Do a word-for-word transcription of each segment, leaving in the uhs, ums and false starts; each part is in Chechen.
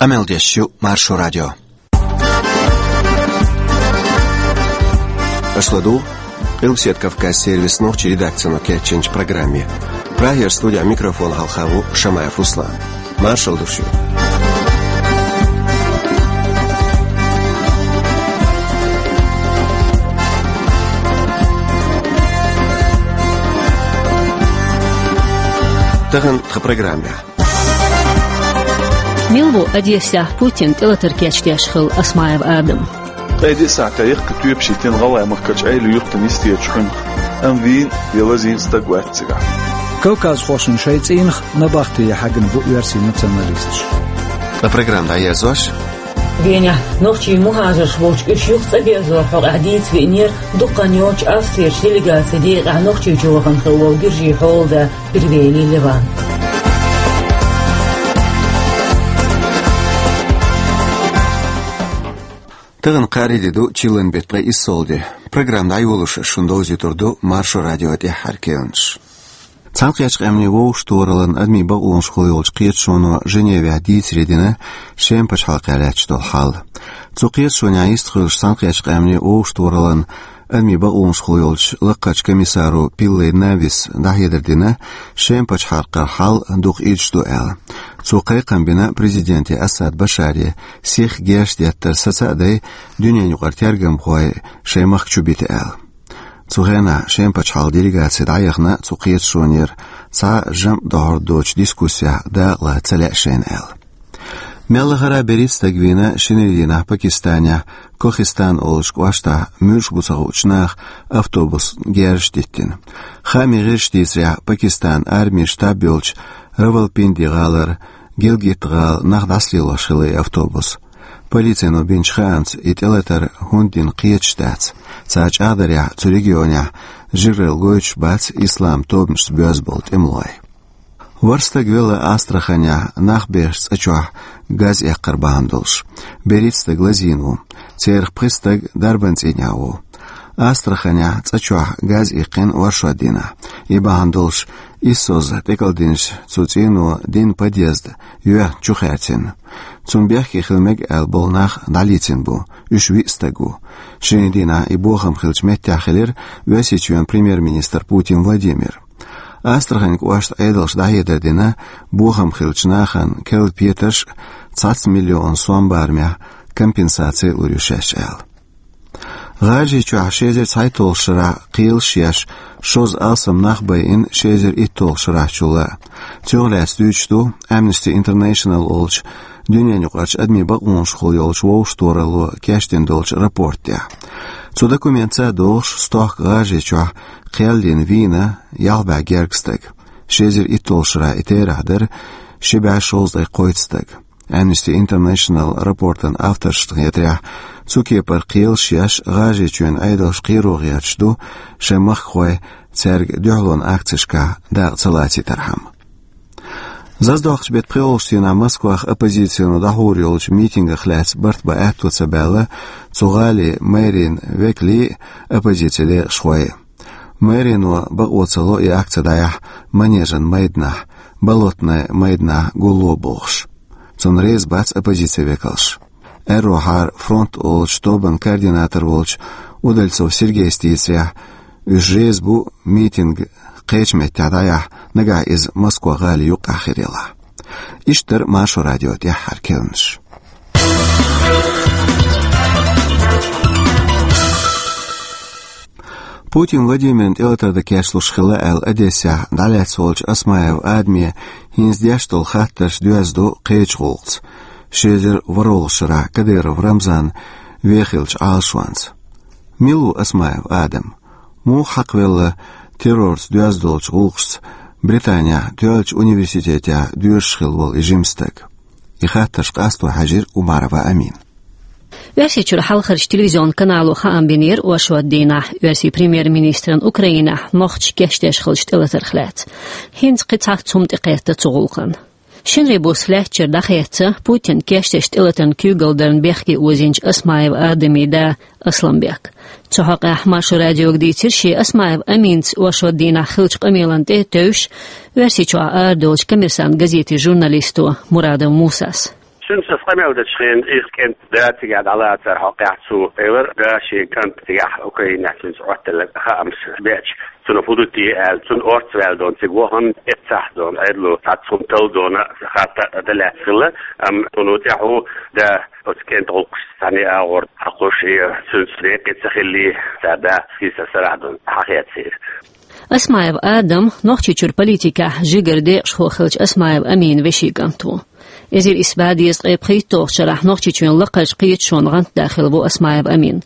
Къамел деш ю Маршо радио. Аша ладугӀу Къилбаседа Кавказ сервисан нохчийн редакцино кечйинчу программе. Прагера студехь микрофон хьалха ву Шамаев Руслан. Маршалла ду шуьга. Тахана тхан программехь. Мила ву Одессехь Путинна тӀелатар кечдеш хилла Осмаев Адам? Ткъе диъ сахьтехь яккхий тоьпаш йитина ГӀалгӀай махкарчу Ӏела юьртана йистерчу хьуьнах, амма вийна я лазийна стаг вац цигахь. Кавказхошна шайн цӀийнах набахте хьаьгна бу оьрсийн националисташ. Ткъа программа дӀаерзош. Венехь нохчийн мухӀажарш болчу уьш юха цӀа берзорхьама хьокъехь дийца веанера дукха хан йоццуш Австрерчу делегацин декъехь Нохчийчу вахана хилла волу гуьржийн хьолада Первела Леван. Тахана кхаарин де ду, чиллан беттан ткъе иссалгӀа де. Программа дӀайолош шуна довзуьйтур ду Маршо радион тӀаьххьара керланаш. Цхьаьнакхеттачу Къаьмнийн Вовшахтохараллан адамийн бакъонашкахула йолчу кхеташоно Женевехь дийцаре дина Шеман пачхьалкхехь лаьтташ долу хьал. Цу кхеташонехь йистхуьлуш, Цхьаьнакхеттачу Къаьмнийн Вовшахтохараллан адамийн бакъонашкахула йолчу лакхарчу комиссаро Пиллей Навис дӀахьедар дина, Шеман пачхьалкхера хьал дукха идаш ду аьлла. Цо кхайкхам бина президенте Асад Башаре сихха герз деттар саца а дай, дуьненаюкъара тергамхой шайн махка чу бита аьлла. Цу хенахь Шеман пачхьалкхан делегаци дӀаяхана цу кхеташонера, цхьа а жамӀ дохьур доцучу дискуссехь дакъала ца лаьа шайна аьлла. Мел лахара берхӀитта стаг вийна шинарин дийнахь Пакистанехь Кохистан олучу кӀоштахь муьлш бу ца хуучу наха автобус герзаш диттина. Хаамийн гӀирсаша дийцарехь, Пакистанан армин штаб йолчу Равалпинди гӀалара Гилгит-гӀала нах дӀасалелош хилла и автобус. Полицино бинчу хаамца, и тӀелатар хӀунда дина кхеташ дац. Цара чӀагӀдарехь, цу регионехь жираралла гойтуш бац ислам тобанашца боьзна болу тӀемалой. ВорхӀ стаг велла Астраханехь нах бехачу цӀа чохь газ эккхар бахьана долуш. БерхӀитта стаг лазийна ву. Церах пхи стаг дарбан цӀийнехь ву. Астраханехь цӀа чохь газ иккхина оршот дийнахь. И бахьана долуш иссозза тӀекӀалдинчу цу цӀийно дина подъезд йоьхна чу хаьрцина. Цунна бехке хила мега аьлла болу нах дӀалецна бу, уьш виъ стаг ву. Шинарин дийнахь и бохам хиллачу меттехь хилира Оьрсийчоьнан премьер-министр Путин Владимир. Астраханан кӀоштан Ӏедалша дӀахьедар дина, бохам хиллачу нахана керла петарш а, цхьацца миллион сом барамехь компенсаци а лур ю шаьш аьлла. ГӀажарийчохь ши эзар цхьайтталгӀачу шарахь кхелаш а еш, шозза алсам нах байина ши эзар итталгӀачу шарахьчул а. Цунах лаьцна дуьйцуш ду Amnesty International олучу дуьненаюкъарчу адамийн бакъонашкахула йолчу вовшахтохаралло кечдина долчу рапортехь. Цу документаца а догӀуш, стохка ГӀажарийчохь кхел йина вийна ялх бӀе гергга стаг. Ши эзар итталгӀачу шарахь и терахь дара ши бӀе шовзткъе кхойтта стаг. Amnesty International рапортан авторшна хетарехь, цу кепара кхелаш а еш, ГӀажарийчоьнан Ӏедалш кхеро гӀерташ ду шайн махкахой цаьрга дуьхьалонан акцешкахь дакъа ца лацийтархьама. Заздоккхучу беттан пхоьалгӀачу дийнахь Москвахь оппозицино дӀахьур йолчу митингах лаьцна барт бан аьтто ца баьлла цу гӀалин мэрин векалий а, оппозицин декъашхой а. Мэрино бакъо ца ло и акци дӀаяхьа Манежан майданахь, Болотный майданахь гулло бохуш. Цунна реза бац оппозицин векалш. Аьрру хьара фронт олучу тобан координатор волчу Удальцов Сергейс дийцарехь, уьш реза бу митинг кхечу меттехь дӀаяхьа, нагахь иза Москва гӀалин юккъехь хир ялахь. Иштта дара Маршо радион тӀаьххьара керланаш. Путин Владимирна тӀелатар дан кечлуш хилла аьлла, Одессехь дӀалаьцна волчу Осмаев Адаме хӀинца деш долу хаттарш доьзна ду кхечу гӀуллакхца, ши эзар ворхӀалгӀачу шарахь Кадыров Рамзан вен хиллачу Ӏалашонца. Мила ву Осмаев Адам? Муха хьакхавелла террорца доьзна долчу гӀуллакхашца Британехь тоьллачу университетехь доьшуш хилла волу и жима стаг? И хаттарш къасто хьаьжира Умарова Амина. Оьрсийчуьра хьалхарчу телевизион канало хаам бинера оршот дийнахь оьрсийн премьер-министран Украинехь нохчаша кечдеш хиллачу тӀелатарх лаьцна. ХӀинца кхин цхьацца хӀума тӀекхетта цу гӀуллакхна. Шинарин буса лаьттачуьра дӀахецна Путинна кечдеш тӀелатарна куьйгалла дарна бехке озийначу Осмаев Адамин да Асламбек. Цу хьокъехь Маршо радиога дийцира шен Осмаев Аминца оршот дийнахь хиллачу къамелан тӀе а тевжаш, Оьрсийчохь арадолучу «Коммерсант» газетан журналисто Мурадов Мусас. Цуьнца къамел дечу хенахь, иза кӀентан да цигахь дӀалацар хьокъехь, цо элира, да шен кӀант цигахь Украинехь цуьнца Ӏотталла хаамаш беача, цунах хӀун ду те аьлла, цунна орцваьлла дона цига вахана, эццахь дона, Ӏедало цхьацца хӀума талла дона, хатта а дан лаьцна хилла, амма цунна тӀаьхьо да оцу кӀентан гӀуллакхашца цхьаьна агӀор хьакхуьуш, и цуьнца декъе ца хилли, цара да хийцар сарахь дона хьахецира. Осмаев Адам Нохчийчуьра политикехь жигара декъашхо хиллачу Осмаев Аминан вешин кӀант ву. Эзар исс бӀе дезткъе пхийтталгӀачу шарахь Нохчийчоьнан лакхарчу кхеташонан гӀантдахилла ву Осмаев Амин.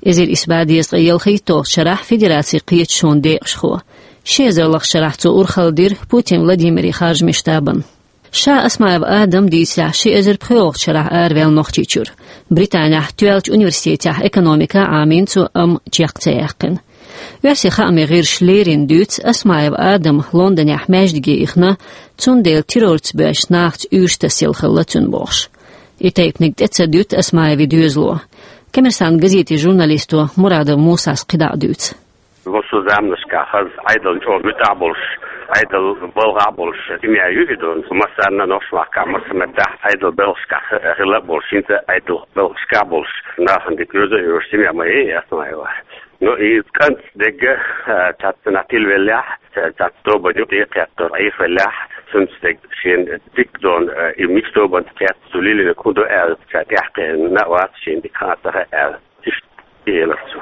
Эзар исс бӀе дезткъе ялхийтталгӀачу шарахь Федерацин кхеташонан декъашхо. Ши эзар лахачу шарахь цо урхалла дира Путин Владимиран харжамийн штабана. Ша Осмаев Адам, дийцарехь, ши эзар пхоьалгӀачу шарахь араваьлла Нохчийчуьра. Британехь тоьллачу университетехь экономика Ӏамийна цо, амма чекх ца яьккхина. Оьрсийн хаамийн гӀирсаша леррина дуьйцу, Осмаев Адам Лондонехь маьждиге ихна, цундела террорца боьзначу нахаца уьйраш тасъелла хилла цуьнан бохуш. И тайпаниг тӀе ца дуьту Осмаевн доьзало. «Коммерсант» газетан журналисто Мурадов Мусас кхидӀа а дуьйцу. Массо а заманашкахь хаза Ӏедална чӀогӀа муьтӀахь болуш, Ӏедална балхахь болуш семья ю и, дона. Массарна а нохчийн махкахь, массо а меттехь Ӏедалан белхашкахь хилла а болуш, хӀинца а Ӏедалан белхашкахь а болуш, нахана дика йоза а йоьшу семья ма яй Осмаевн. Ну, и кӀант дерг, а, цхьацца нах тилавеллехь, цхьацца тобанна юкъе кхетта Ӏехавеллехь, цуьнца дерг шена дика, дона, а, и муьлхачу тобанна кхетта, цо лелийнарг хӀун ду аьлла, ша тӀаьхьакхиъна а вац, шена дика хаа а ца хаьа аьлла. Иштта элира цо.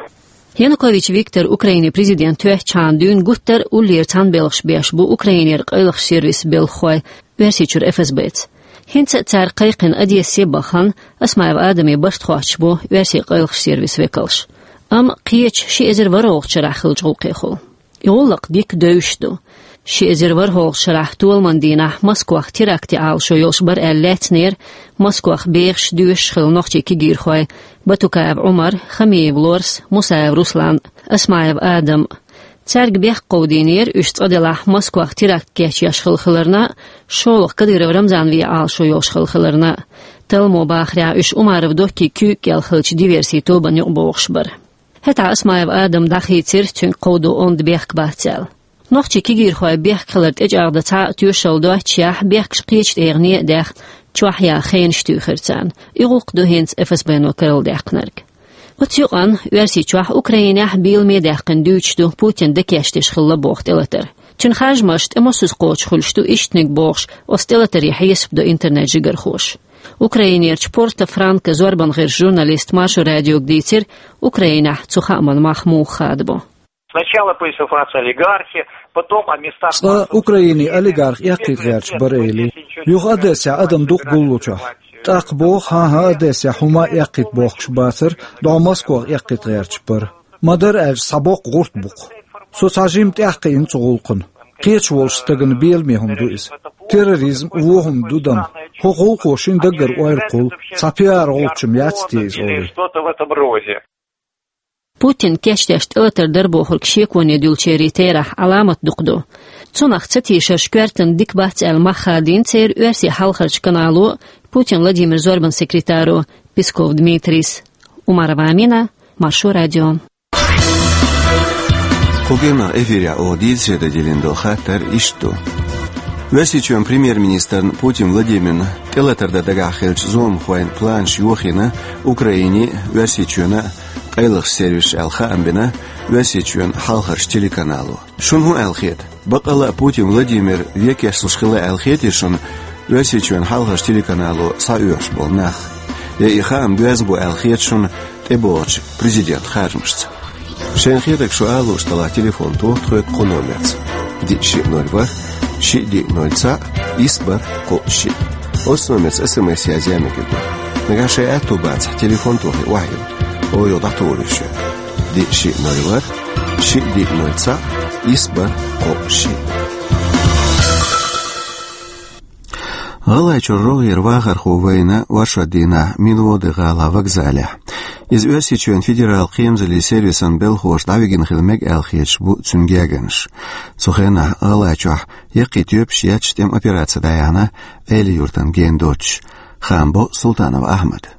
Янукович Виктор Украинин президент хӀоьттичхьана дуьйна гуттар а уллера цхьаьнабелхаш беш бу Украинера къайлахчу сервисан белхахой Оьрсийчуьра ФСБ-ца. ХӀинца а цаьрга кхайкхина Одессе а бахана, Осмаев Адаман барт хоттуш бу оьрсийн къайлахчу сервисан векалш. Амма кхечу ши эзар ворхӀалгӀачу шарахь хиллачу гӀуллакхехула. И гӀуллакх дика девзаш ду. Ши эзар ворхӀалгӀачу шарахь, толаман дийнахь, Москвахь теракт ян Ӏалашо йолуш бара аьлла лаьцнера Москвахь бехаш, доьшуш хилла нохчийн кегийрхой Батукаев Ӏумар, Хамиев Лорс, Мусаев Руслан, Осмаев Адам. Цаьрга бехк кховдийнера уьш, цкъа делахь, Москвахь теракт кечъеш хилла хиларна а, шолгӀа Кадыров Рамзан вен Ӏалашо йолуш хилла хиларна а. Талламо бахарехь, уьш Умаров Доккин куьйга кӀел хиллачу диверсийн тобанна юкъа богӀуш бара. ХӀетахь Осмаев Адам дӀахийцира, цуьнга кховдо онда бехк бац аьлла. Нохчийн кегийрхойн бехк хилар тӀечӀагӀдан цхьа а тоьшалла доццушехь, бехкаш кхечу тӀегӀане а даьхна, чохь ян хенаш туьйхира царна. И гӀуллакх ду хӀинца ФСБ-но карладаьккхинарг. Оцу юкъанна Оьрсийчохь Украинехь беламе даьккхина дуьйцуш ду Путин дӀакечдеш хилла боху тӀелатар. Цуьнан харжамаш тӀе массаза кхочуш хуьлуш ду ишттаниг бохуш, оцу тӀелатаре хьесап до интернет-жигархоша. Украинерчу Порто-Франко зорбан гӀирсийн журналисто Маршо радиога дийцира, Украинехь цу хааман мах муха хадабо. Сначала по информации олигархи, потом о местах... Цкъа Украинин олигарх эккхийта гӀерташ бара элира. Юха Одессехь адам дукха гуллучохь. ТӀаккха боху, хӀан-хӀа, Одессехь хӀума эккхийта бохкуш бацара, дӀо Москвах эккхийта гӀерташ бара. Ма-дарра аьлча, цхьа боккха гӀурт бу-кх. Со цхьа жимма тӀаьхьакхиъна цу гӀуллакхана. Кхеташ волчу стагана беламе хӀума ду иза. Терроризм вон хӀума ду-м. ХӀокху гӀуллакхо шина даггара ойла кхуллу, цхьа пиар-гӀуллакх-м яц те иза олий. Путин кечдеш тӀелатар дара бохург шеконе дуьллучеран терахь Ӏаламат дукха ду. Цунах ца тешарш коьртана дика бац аьлла мах хадийна церан оьрсийн хьалхарчу канало Путин Владимиран зорбан секретаро Песков Дмитрийс. Умарова Амина, Маршо радио. Кху геннах эфирехь оха дийцаре дан диллина долу хаттар иштта ду. Оьрсийчоьнан премьер-министрна Путин Владимирна тӀелатар дан дагахь хиллачу зуламхойн планаш йохийна Украинин а, Оьрсийчоьнан а къайлахчу сервисаша аьлла хаам бина Оьрсийчоьнан хьалхарчу телеканало. Шуна хӀун аьлла хета? Баккъалла а Путин Владимир вен кечлуш хилла аьлла хетий шуна Оьрсийчоьнан хьалхарчу телеканало схьаоьхуш болу нах? Я и хаам доьзна бу аьлла хета шуна тӀебогӀучу президентан харжамашца? Шайна хетарг шу ала лууш делахь, телефон тоха тхоьга кху номерца: диъ шиъ ноль ворхӀ, шиъ диъ ноль цхьаъ, исс бархӀ кхоъ шиъ. Оцу номерца СМС язъян мегар ду. Нагахь шайн аьтто бацахь, телефон тохий, охьайилла, оха юха дӀатухур ю шуьга. Диъ шиъ ноль ворхӀ, шиъ диъ ноль цхьаъ, исс бархӀ кхоъ шиъ. ГӀалгӀайчуьра рогӀера вахархо вайна оршот дийнахь Минводы-гӀалахь вокзалехь. Иза Оьрсийчоьнан федералан кхерамзаллин сервисан белхахоша дӀавигина хила мега аьлла хеташ бу цуьнан гергарнаш. Цу хенахь ГӀалгӀайчохь яккхий тоьпаш етташ тӀеман операци дӀаяьхьна Эли-Юьртана гена доцуш. Хаам бо Султанов Ахьмада.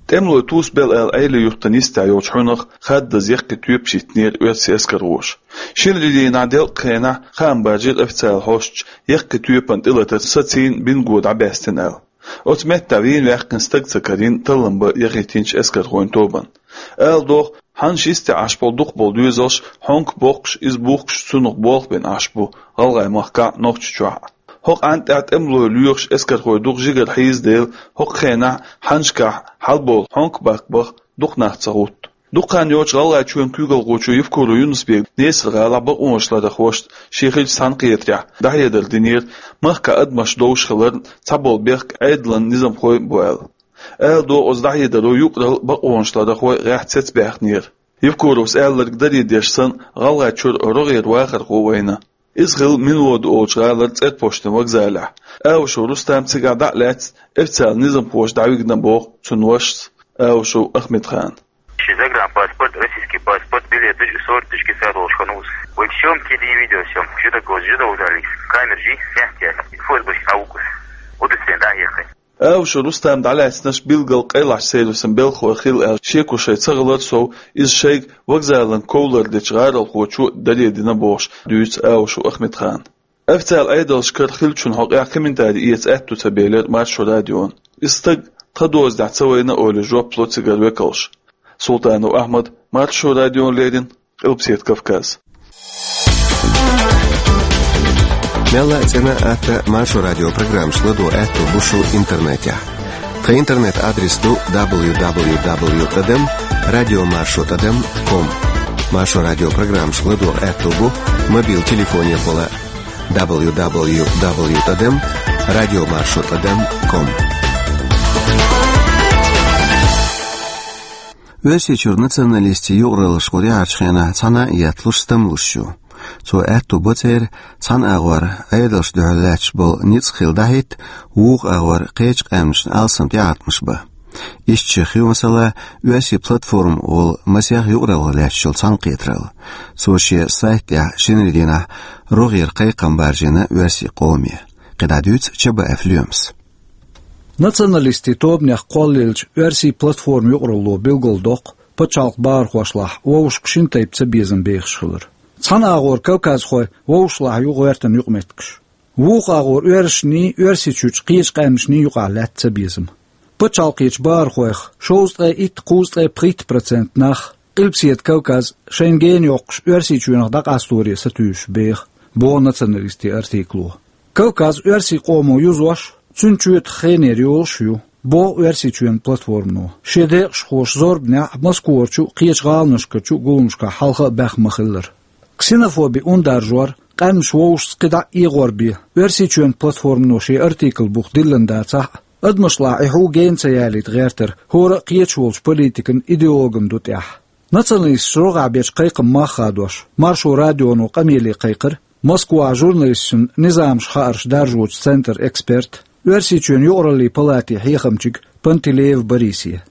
ТӀемалой тусабелла аьлла Эли-Юьртана йистехь йолчу хьуьнах хаддаза яккхий тоьпаш йиттинера оьрсийн эскархоша. Шинарин дийнахь делкъа хенахь хаам бажийра официалан хьосташа яккхий тоьпан тӀелатар сацийна, бинго дӀабаьстина аьлла. Оцу меттехь вийна ваьккхина стаг ца карийна таллам бан яхийтинчу эскархойн тобанна. Ала догӀу, хьаннаш йисте Ӏаш болу дукхахболу доьзалш хьонка боккхуш, иза бухкуш цунах болх бина Ӏаш бу ГӀалгӀайн махкахь а, Нохчийчохь а. ХӀокху Ӏаьнна тӀехь тӀемалой лоьхуш эскархой дукха жигара хьийзаделла, хӀокху хенахь хьаннашкахь хьалаболу хьонка баккха баха дукха нах ца гӀутту. Дукха хан йоццуш ГӀалгӀайчоьнан куьйгалхочо Евкуров Юнус-Бега Несар-гӀалахь бакъонашларъярхошца шен хиллачу цхьаьнакхетарехь дӀахьедар динера, махкахь адамаш довш хиларна, цхьаболу бехк Ӏедалан низамхой бу аьлла. Ала догӀу, оцу дӀахьедаро юкъаралла бакъонашларъярхой гӀехь цецбаьхнера. Евкуровс аьлларг даре деш санна, ГӀалгӀайчуьра рогӀера вахархо вайна. Иза хилла Минвода олучу гӀалара цӀерпоштан вокзалехь. Аушев Рустам цигахь дӀа а лаьцна, официалан низамхоша дӀавигна боху цуьнан вашас Аушев Ахмедхана. Ши загранпаспорт, российский паспорт, билет, сорок тысяч кисаролш ханус. Вы всем телевидео, всем. Жидок, жидок дали. Камер жи, мягкие. ФСБ аукус. Удостоверение, да, ехай. Аушев Рустам дӀалаьцнарш билггал къайлахчу сервисан белхалой хилла аьлла шеко шайн ца хилар сов, иза шайга вокзалан ков лардечу гӀаролхочо даре дина бохуш дуьйцу Аушев Ахмедхана. Официалан Ӏедалшкара хиллачун хьокъехь комментари эца аьтто ца белира Маршо радиона. Иза стаг тхан дозанехь ца вайна олий жоп ло цигара векалша. Султанов Ахьмад, Маршо радиона леррина, Къилбаседа Кавказ. Мелла а цӀена а, атта а Маршо радион программашка ладогӀа аьтто бу шун интернетехь. Тхан интернет-адрес ду дабл ю дабл ю дабл ю тӀадам радио маршо тӀадам ком. Маршо радион программашка ладогӀа аьтто бу мобил телефонехула дабл ю дабл ю дабл ю тӀадам радио маршо тӀадам ком. Оьрсийчуьра националистийн юкъараллаш кху тӀаьхьарчу хенахь цхьана а етталуш, стамлуш ю. Цо аьтто бо церан цхьана агӀор Ӏедалшна дуьхьал лаьтташ болу ницкъ хилла дӀахӀитта, вукху агӀор кхечу къаьмнашна алсам тӀеӀаткъамаш бан. Иштта шех ю, масала, оьрсийн платформа волу масех юкъараллах лаьтташ йолу цхьаьнакхетаралла. Цо шен сайта тӀехь шинарин дийнахь рогӀера кхайкхам баржийна оьрсийн къоме. КхидӀа дуьйцу Чабаев Лоьмас. Националистийн тобанех кхоллаеллачу оьрсийн платформа юкъаралло билгалдоккху пачхьалкхан бахархошлахь вовшашка шина тайпа цабезам бехаш хилар. Цхьана агӀор кавказхой вовшашлахь ю гӀоьртан юкъаметтигаш. Вукху агӀор оьрсашний, Оьрсийчуьрчу кхечу къаьмнашний юкъахь лаьтта цабезам. Пачхьалкхечу бахархойх шовзткъе итт, кхузткъе пхийтта процент нах Къилбаседа Кавказ шайна гена йоккхуш Оьрсийчоьнах дӀакъасторе сатуьйсуш беха, боху националистийн артикло. Кавказ оьрсийн къомо юзош, цуьнан чоьтах хенера йолуш а ю, боху Оьрсийчоьнан платформано. Шен декъашхоша зорбанехь Москварчу а, кхечу гӀаланашкарчу а гуламашкахь хьалха а баьхна ма-хиллара. Ксенофоби ундаржор, къаьмнаш вовшашца кхидӀа а эгӀор бен, Оьрсийчоьнан платформано шен артикл бух диллина дацахь а, адамашлахь и хьу гена ца ялийта гӀертар хӀора а кхеташ волчу политикан, идеологан ду тӀехь. Националисташа рогӀехь бечу кхайкхаман мах хадош, Маршо радионо къамеле кхайкхира Москвахь журналисташна низамаш хаарш даржочу центран эксперта, Оьрсийчоьнан юкъараллин палатин хьехамчига Пантелеев Борисе.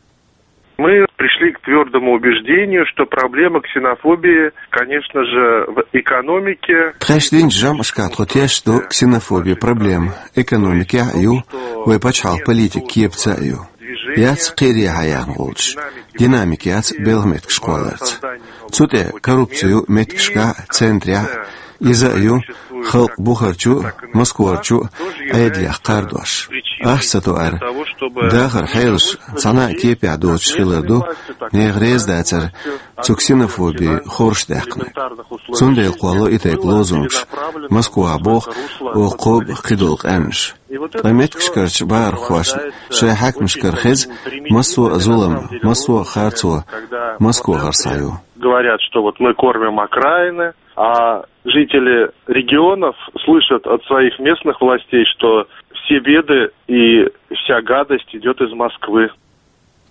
Мы пришли к твёрдому убеждению, что проблема ксенофобии, конечно же, в экономике. Тхаьш динчу жамӀашкахь тхо тешна ду ксенофобин проблема экономикехь а ю, вай пачхьалкхан политикан кепаца а ю. Яц кхере хьаяьхна гӀулчаш, динамика яц белхан меттигаш кхолларца. Цу тӀе коррупци ю меттигашкахь а, центрехь а, иза а ю халкъ бухарчу а, Москварчу а Ӏедалех кхардош. Ахча ца тоар, дахаран хьелаш цхьана а кепехь доцуш хилар ду, нехан реза дацар цу ксенофобин хорша даьккхинарг. Цундела кхоллало и тайпа лозунгаш, Москвахь боху оха кхобу кхидолу къаьмнаш. Ткъа меттигашкарчу бахархошна шайн хьаькамашкара хеза массо а зулам, массо а харцо Москвахара схьаю. Говорят, что вот мы кормим окраины, а жители регионов слышат от своих местных властей, что все беды и вся гадость идёт из Москвы.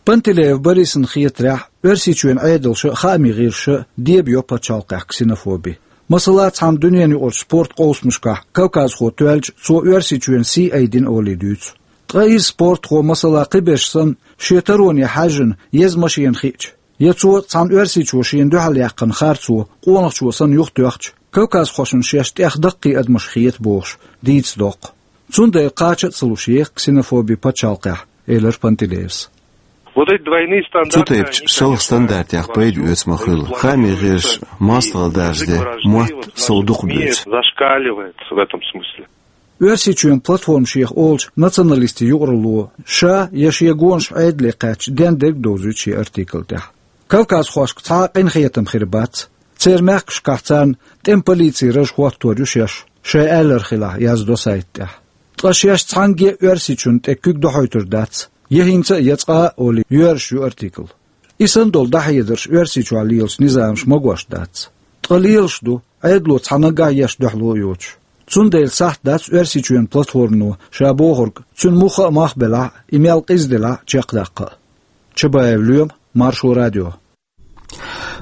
Пантелеев Борисна хетарехь, Оьрсийчоьнан Ӏедалша а, хаамийн гӀирсаша а дебайо пачхьалкхехь ксенофоби. Масала, цхьана дуьненаюкъарчу спорт къовсамашкахь кавказхо тоьлча, цо Оьрсийчоьнан сий айдина олий дуьйцу. Ткъа иза спортхо, масала, кхиберш санна, шен тароне хьаьжжина еза машена хиъча, я цо цхьана оьрсичо шена дуьхьал яьккхина харцо къонахчо санна юхатоьхча, кавказхошна шаьш тӀех даккхий адамаш хета бохуш, дийца доккху. Цундела кхача а ца луш еха ксенофоби пачхьалкхехь, элира Пантелеевс. Вот эти двойные стандарты, они, конечно, Цу тайпачу шалха стандартех пайда оьцу ма хуьлу. Хаамийн гӀирсаша мостагӀалла даржаде мотт сов дукха буьйцу. Зашкаливает в этом смысле. Оьрсийчоьнан платформа шех олучу националистийн юкъаралло ша я шен гонаш Ӏедале кхаьчча дендерг довзуьйту шен артикл тӀехь. Кавказхошка цхьа а къинхетам хир бац. Церан мехкашкахь царна тӀеман полицин раж хӀоттор ю шаьш, шайн аьлларг хилахь, яздо сайта тӀехь. Ткъа шаьш цхьаьнгге а Оьрсийчунна тӀе куьг дохьуьйтур дац, я хӀинца а, я цкъа а олий, йоьрзуш ю артикл. И санна долу дӀахьедарш Оьрсийчохь лелачу низамаша магош дац. Ткъа лелаш ду, Ӏедало цхьа наггахь еш дуьхьало а йоцуш. Цундела сахьт дац Оьрсийчоьнан платформано ша бохург, цуьнан муха а мах белахь а, и мел къиза делахь а, чекхдаккха а. Чабаев Лоьма, Маршо радио.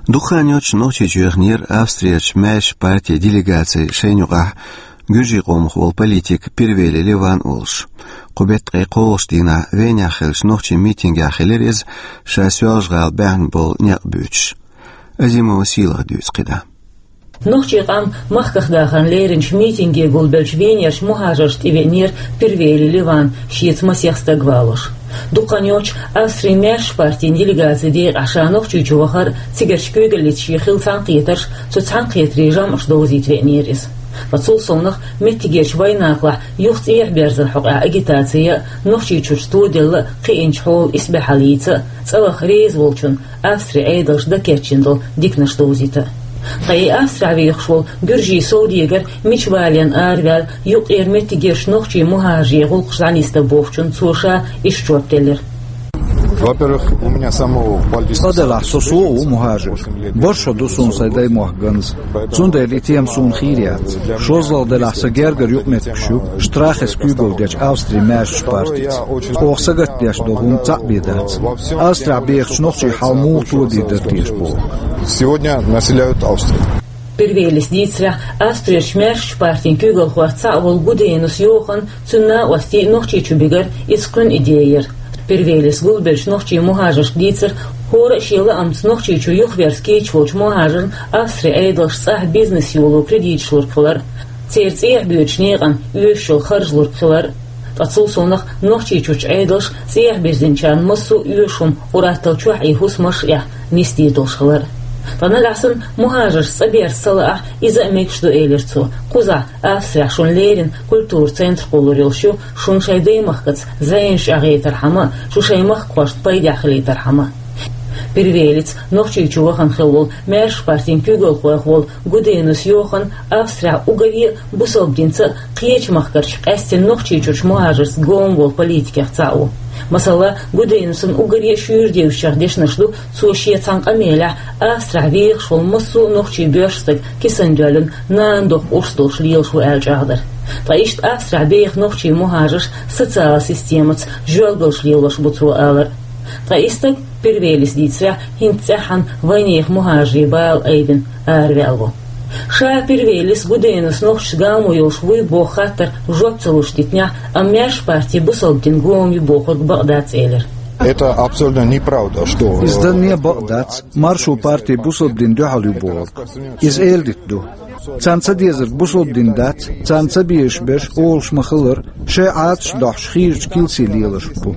Дукха хан йоццуш Нохчийчу яханера Австрерчу маьршачу партин делегаци шайна юкъахь гуьржийн къомах волу политик Пирвели Леван олуш. Кху беттан ткъе кхоалгӀачу дийнахь Венехь хиллачу нохчийн митингехь хилира иза, ша Соьлжа-ГӀала баьхна болу некъ буьйцуш. Азимова Сийлаха дуьйцу кхидӀа. Нохчийн къам махках дахарна леринчу митинге гулбеллачу Венерчу мухӀажаршна тӀевеанера Пирвели Леван, шеца масех стаг валош. Дукха хан йоццуш Австрин маьршачу партин делегацин декъехь ша Нохчийчу вахар, цигарчу куьйгаллица шен хилла цхьаьнакхетарш, цу цхьаьнакхетарийн жамӀаш довзийта веанера иза. Ткъа цул совнаха меттигерчу вайнахалахь юха цӀехьа берзаран хьокъехь агитаци а, Нохчийчуьрчу тоделла а кхиъначу хьолан исбаьхьаллица а, цӀа ваха реза волчунна Австрин Ӏедалша дӀакечйина долу диканаш довзийта а. Ткъа и Австрехь вехаш волу гуьржийн совдегар мича валийна араваьлла, юккъера меттигерчу нохчийн мухӀажарийн гӀуллакхаш дӀанисдан бохучунна цо ша иштта жоп делира. Во-первых, у меня самого политического... Цкъа делахь, со сов а ву мухӀажар. БархӀ шо ду суна сайн даймохк ганза. Цундела и тема суна хийра яц. ШозлагӀа делахь, сан гергара юкъаметтигаш ю Штрахес куьйгалла дечу Австрин маьршачу партица. Оха сагатдеш долу хӀума цхьаъ бен дац. Австрехь бехачу нохчийн хьал муха тодийр дара теша боху. Сегодня населяют Австрию. Пирвелис дийцарехь, Австрерчу маьршачу партин куьйгалхошца цхьаъ волу Гуденус Йохан, цуьнан накъостий Нохчийчу бигар иза кхуьнан идея яра. Пирвелис гулбеллачу нохчийн мухӀажаршка дийцира, хӀора а шен лаамца Нохчийчу юхаверза кийча волчу мухӀажарна Австрин Ӏедалша цӀахь бизнес йоло кредиташ лург хилар, церан цӀехьа боьдучу некъана оьшуш йолу харж лург хилар. Ткъа цул совнаха Нохчийчуьрчу Ӏедалша цӀехьа бирзинчарна массо а оьшуш хӀума къуръаттал чохь и хӀусамаш а эхь нисдийр долуш хилар. Ткъа нагахь санна мухӀажаршца цӀа берза ца лаахь, иза а мегаш ду, элира цо. Кхузахь, Австрехь шуна леррина культуран центр кхуллур йолуш ю, шуна шайн даймахкаца зӀенаш чӀагӀийтархьама а, шу шайн махкахошна пайдехь хилийтархьама а. Пирвелица Нохчийчу вахана хилла волу маьршачу партин куьйгалхойх волу Гуденус Йохан Австрехь уггаре а бусалба динца а, кхечу махкарчу, къаьсттина Нохчийчуьрчу мухӀажаршца гома волу политикех цхьаъ ву. Масала, Гуденусан уггаре а шуьйра девзачех дешнаш ду, цо шен цхьана къамелехь Австрехь вехаш волу массо а нохчийн боьрша стаг кисана доьллина, нана доккха урс долуш лелаш ву аьлла чӀагӀдар. Ткъа иштта Австрехь беха нохчийн мухӀажарш социалан системаца жоьлгалш лелош бу цо алар. Ткъа и стаг, Пирвелис дийцарехь, хӀинца цӀеххьана вайнехан мухӀажарийн бала айбина араваьлла ву. Ша Пирвелис Гуденус нохчашца гамо йолуш вуй боху хаттар жоп ца луш дитинехь, амма маьршачу парти бусалба дин гома ю бохург бакъ дац, элира. Это абсолютно неправда, что... Иза данне бакъ дац, маршо парти бусалба дин дуьхьал ю бохург. Иза эладита ду. Царна ца дезарг бусалба дин дац, царна ца безаш берш олуш ма-хиллара, шайн Ӏадаташ дохьуш хийрачу килси лелаш бу.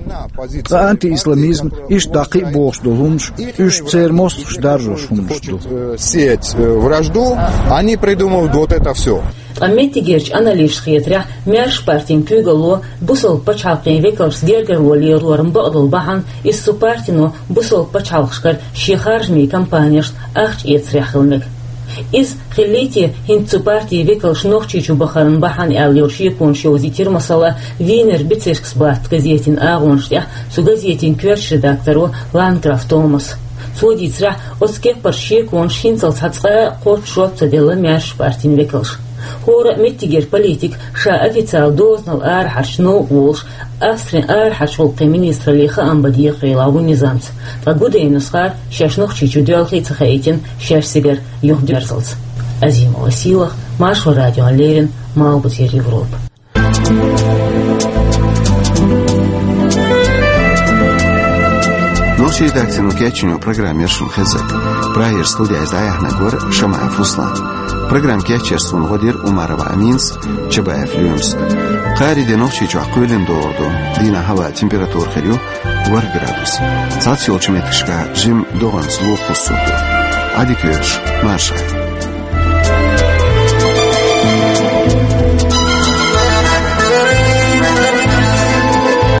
Ткъа антиисламизм, иштта дӀа кхин а бохуш долу хӀуманаш, уьш церан мостагӀаша даржош хӀуманаш ду. Сеять, э, вражду, они придумывают вот это всё. Ткъа меттигерчу аналисташна хетарехь, маьршачу партин куьйгалло бусалба пачхьалкхийн векалшца гергарло лелоран бакъдолу бахьана, иза цу партино бусалба пачхьалкхашкара шен харжамийн кампанешна ахча эцарех хила мега. Иза, хиллий те, хӀинца цу партин векалш Нохчийчу бахаран бахьана аьлла йолу шеконаш йовзийтира, масала, Вийнер Бецешкас Баттас газетийн агӀонаш тӀехь цу газетийн коьртачу редакторо Ландграф Томаса. Цо дийцарехь, оцу кеппарчу шеконаш хӀинцалц цхьа цкъа а кхоччуш жоп ца делла маьршачу партин векалша. ХӀора а меттигера политик ша официалан дозанал арахьарчу новкъа волуш, Австрин арахьарчу гӀуллакхийн министраллин хаам бан дехарелахь ву низамца. Ткъа Гуденусхара шаьш Нохчийчу доьлхий а ца хаийтина, шаьш цигара юхадоьрзалц. Азимова Сийлаха, Маршо радиона леррина, Малхбузера Европа. Нохчийн редакцино кечйина программа яра шуна хезнарг. Прагера студехь дӀаяьхьнарг вара Шамаев Руслан. Программа кечъярца цунна гӀо дира Умарова Аминас, Чабаев Лоьмас. Кхаарин де Нохчийчохь кхоьлина догӀур ду. Дийнахь хӀаваан температура хир ю ворхӀ градус. Цхьацца йолчу меттигашкахь жимма догӀанца вукхуссур ду. Ӏадика йойла шун, марша Ӏойла.